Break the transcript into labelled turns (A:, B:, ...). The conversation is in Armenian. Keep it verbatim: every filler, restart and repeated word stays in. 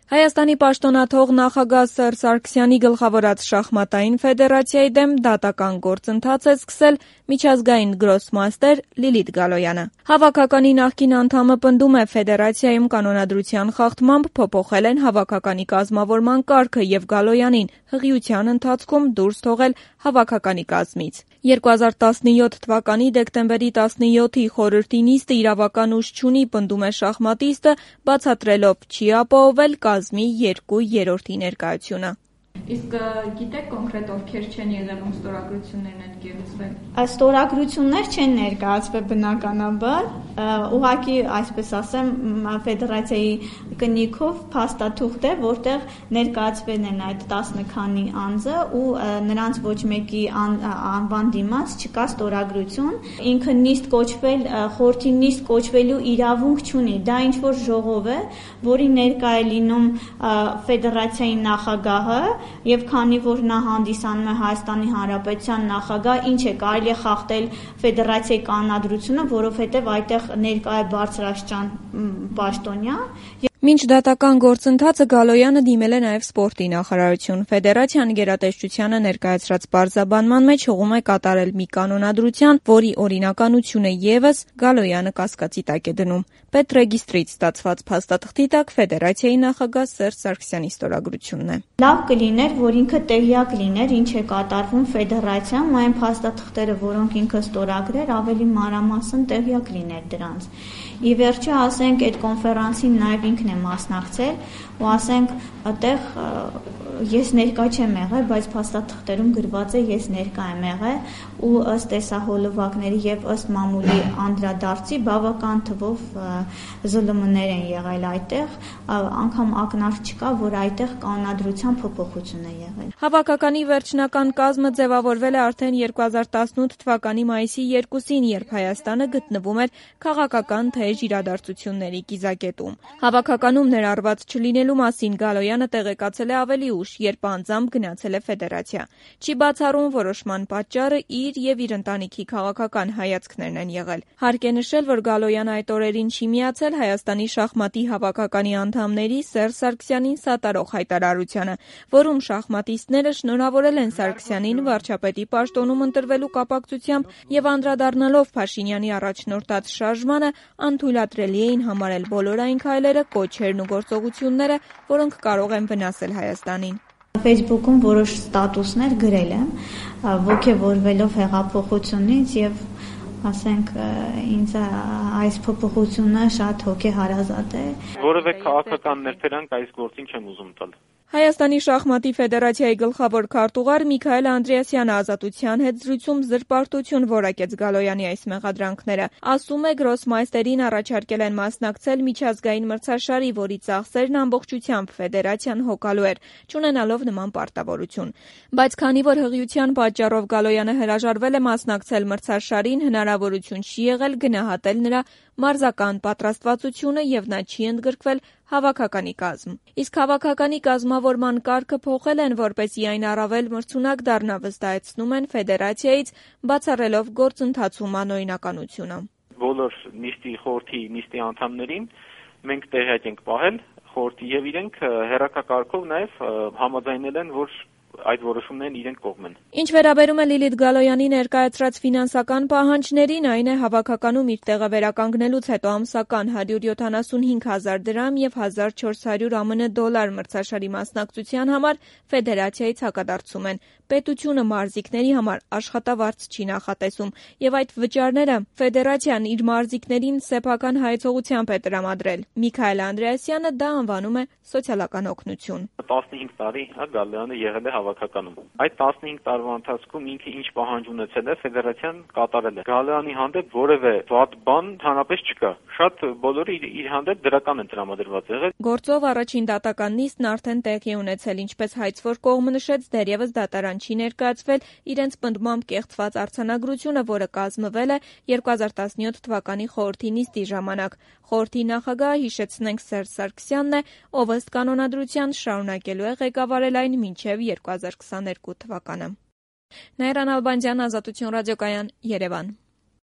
A: Հայաստանի պաշտոնաթող նախագահ Սերժ Սարգսյանի գլխավորած շախմատային ֆեդերացիայի դեմ դատական գործընթաց է սկսել միջազգային գրոսմաստեր Լիլիթ Գալոյանը։ Հավաքականի նախկին անդամը պնդում է, ֆեդերացիայում կանոնադրության խախտմամբ փոփոխել են հավաքականի կազմավորման կարգը եւ Գալոյանին հղիության ընթացքում դուրս թողել հավաքականի կազմից։ երկու հազար տասնյոթ թվականի դեկտեմբերի տասնյոթի խորհրդի նիստը իրավական ուժ չունի, պնդում է շախմատիստը, բացատրելով չի ապահովել կազմի երկու երրորդի ներկայությունը։
B: Իսկ գիտեք կոնկրետ ովքեր չեն եղել, ում ստորագրություններն են ներկայացվել։
C: Ստորագրություններ չեն ներկայացվել բնականաբար, ուղղակի այսպես ասեմ, ֆեդերացիայի կնիքով փաստաթուղթ է, որտեղ ներկայացվել են այդ տասը քանի անձը ու նրանց ոչ մեկի անվան դիմաց չկա ստորագրություն, ինքը նիստ կոչվել, խորհրդի նիստ կոչվելու իրավունք չունի, դա ինչ որ ժողով է, որի ներկա է լինում ֆեդերացիայի նախագահը, եւ քանի որ նա հանդիսանում է Հայաստանի Հանրապետության նախագահ, ինչ է կարելի է խախտել ֆեդերացիայի կանոնադրությունը, որովհետեւ այդտեղ ներկա է բարձրաստիճան պաշտոնյա։
A: Մինչ դատական գործընթացը Գալոյանը դիմել է նաև սպորտի նախարարություն։ Ֆեդերացիան գերատեսչությանը ներկայացրած պարզաբանման մեջ հողում է կատարել մի կանոնադրության, որի օրինականությունը եւս Գալոյանը կասկածի տակ է դնում։ Պետրեգիստրից ստացված փաստաթղթի տակ ֆեդերացիայի նախագահ Սերժ Սարգսյանի ստորագրությունն է։
C: Լավ կլիներ, որ ինքը տեղյակ լիներ, ինչ է կատարվում ֆեդերացիայում, այն փաստաթղթերը, որոնք ինքը ստորագրեր, ավելի մանրամասն տեղյակ լիներ դրանց։ Ի վերջո, ասենք, այդ կոնֆերանսին նաև ինքն է մասնակցել ու ասենք, այդտեղ ես ներկա չեմ եղել, բայց փաստաթղթերում գրված է ես ներկա եմ եղել ու ըստ տեսահոլովակների եւ ըստ մամուլի անդրադարձի բավական թվով զլմ-ներ են եղել այդտեղ, անգամ ակնարկ չկա, որ այդտեղ կանոնադրության փոփոխություն է եղել։
A: Հավաքականի վերջնական կազմը ձևավորվել է արդեն երկու հազար տասնութ թվականի մայիսի երկուսին, երբ Հայաստանը գտնվում էր քաղաքական թեժ իրադարձությունների կիզակետում։ Հավաքականում ներառված չլինելու մասին Գալոյանը տեղեկացել է ավելի ուշ, երբ անձամբ գնացել է ֆեդերացիա։ Չի բացառում որոշման պատճառը իր եւ իր ընտանիքի քաղաքական հայացքներն են եղել։ Հարկ է նշել, որ Գալոյանը այդ օրերին չի միացել Հայաստանի շախմատի հավաքականի անդամների Սերժ Սարգսյանին սատարող հայտարարությանը, որում շախմատիստները շնորհավորել են Սարգսյանին վարչապետի պաշտոնում ընտրվելու կապակցությամբ եւ անդրադառնալով Փաշինյանի առաջնորդած շարժմանը, անթույլատրելի էին համարել բոլոր այն քայլերը, կոչերն ու գործողությունները, որոնք կարող են վնասել Հայաստանին։
C: Facebook-ում որոշ ստատուսներ գրել եմ, ոգևորվելով հեղափոխությունից եւ ասենք ինձ այս փոփոխությունը շատ հոգեհարազատ է։
D: Որևէ քաղաքական ներդրանք այս գործին չեմ ուզում տալ։
A: Հայաստանի շախմատի ֆեդերացիայի գլխավոր քարտուղար Միքայել Անդրեասյանը ազատության հետ զրույցում զրպարտություն որակեց Գալոյանի այս մեղադրանքները։ Ասում է, գրոսմայստերին առաջարկել են մասնակցել միջազգային մրցաշարի, որի ծախսերն ամբողջությամբ ֆեդերացիան հոգալու էր, չունենալով նման պարտավորություն։ Բայց քանի որ հղիության պատճառով Գալոյանը հրաժարվել է մասնակցել մրցաշարին, հնարավորություն չի եղել գնահատել նրա մարզական պատրաստվածությունը եւ նա չի ընդգրկվել հավաքականի կազմ։ Իսկ հավաքականի կազմավորման կարգը փոխել են, որպեսզի այն առավել մրցունակ դառնա, վստահեցնում են ֆեդերացիայից, բացառելով գործընթացում անօրինականությունը։
D: Բոլոր նիստի խորհրդի նիստի անդամներին մենք տեղյակ ենք պահել, խորհրդի եւ իրենք հերակակարգով նաեւ համաձայնել են, որ այդ որոշումներն իրենք կողմեն։
A: Ինչ վերաբերում է Լիլիթ Գալոյանի ներկայացրած ֆինանսական պահանջներին, այն է հավաքականում իր տեղը վերականգնելուց հետո ամսական հարյուր յոթանասունհինգ հազար դրամ եւ հազար չորս հարյուր ԱՄՆ դոլար մրցաշարի մասնակցության համար ֆեդերացիայից հակադարձում են։ Պետությունը մարզիկների համար աշխատավարձ չի նախատեսում եւ այդ վճարները ֆեդերացիան իր մարզիկներին սեփական հայեցողությամբ է տրամադրել։ Միքայել Անդրեասյանը դա անվանում է սոցիալական օգնություն։
D: տասնհինգ տարի հա Գալոյանը եղել է հավաքականում։ Այդ տասնհինգ տարվա ընթացքում ինքը ինչ պահանջ ունեցել է, ֆեդերացիան կատարել է։ Գալոյանի հանդեպ որևէ վատ բան հանրապես չկա։ Շատ բոլորը իր, իր հանդեպ դրական են տրամադրված եղել։
A: Գործով առաջին դատական նիստն արդեն տեղի ունեցել, ինչպես հայցվոր կողմը նշեց, դեռևս դատարան չի ներկայացվել իրենց պնդմամբ կեղծված արձանագրությունը, որը կազմվել է երկու հազար տասնյոթ թվականի խորհրդի նիստի ժամանակ։ Խորհրդի նախագահը, հիշեցնենք, Սերժ Սարգսյանն է, ով ըստ կանոնադրության շարունակելու է ղեկավարել այն մինչև երկու հազար քսաներկու թվականը։ Նաիրա Նալբանդյան, Ազատություն ռադիոկայան, Երևան։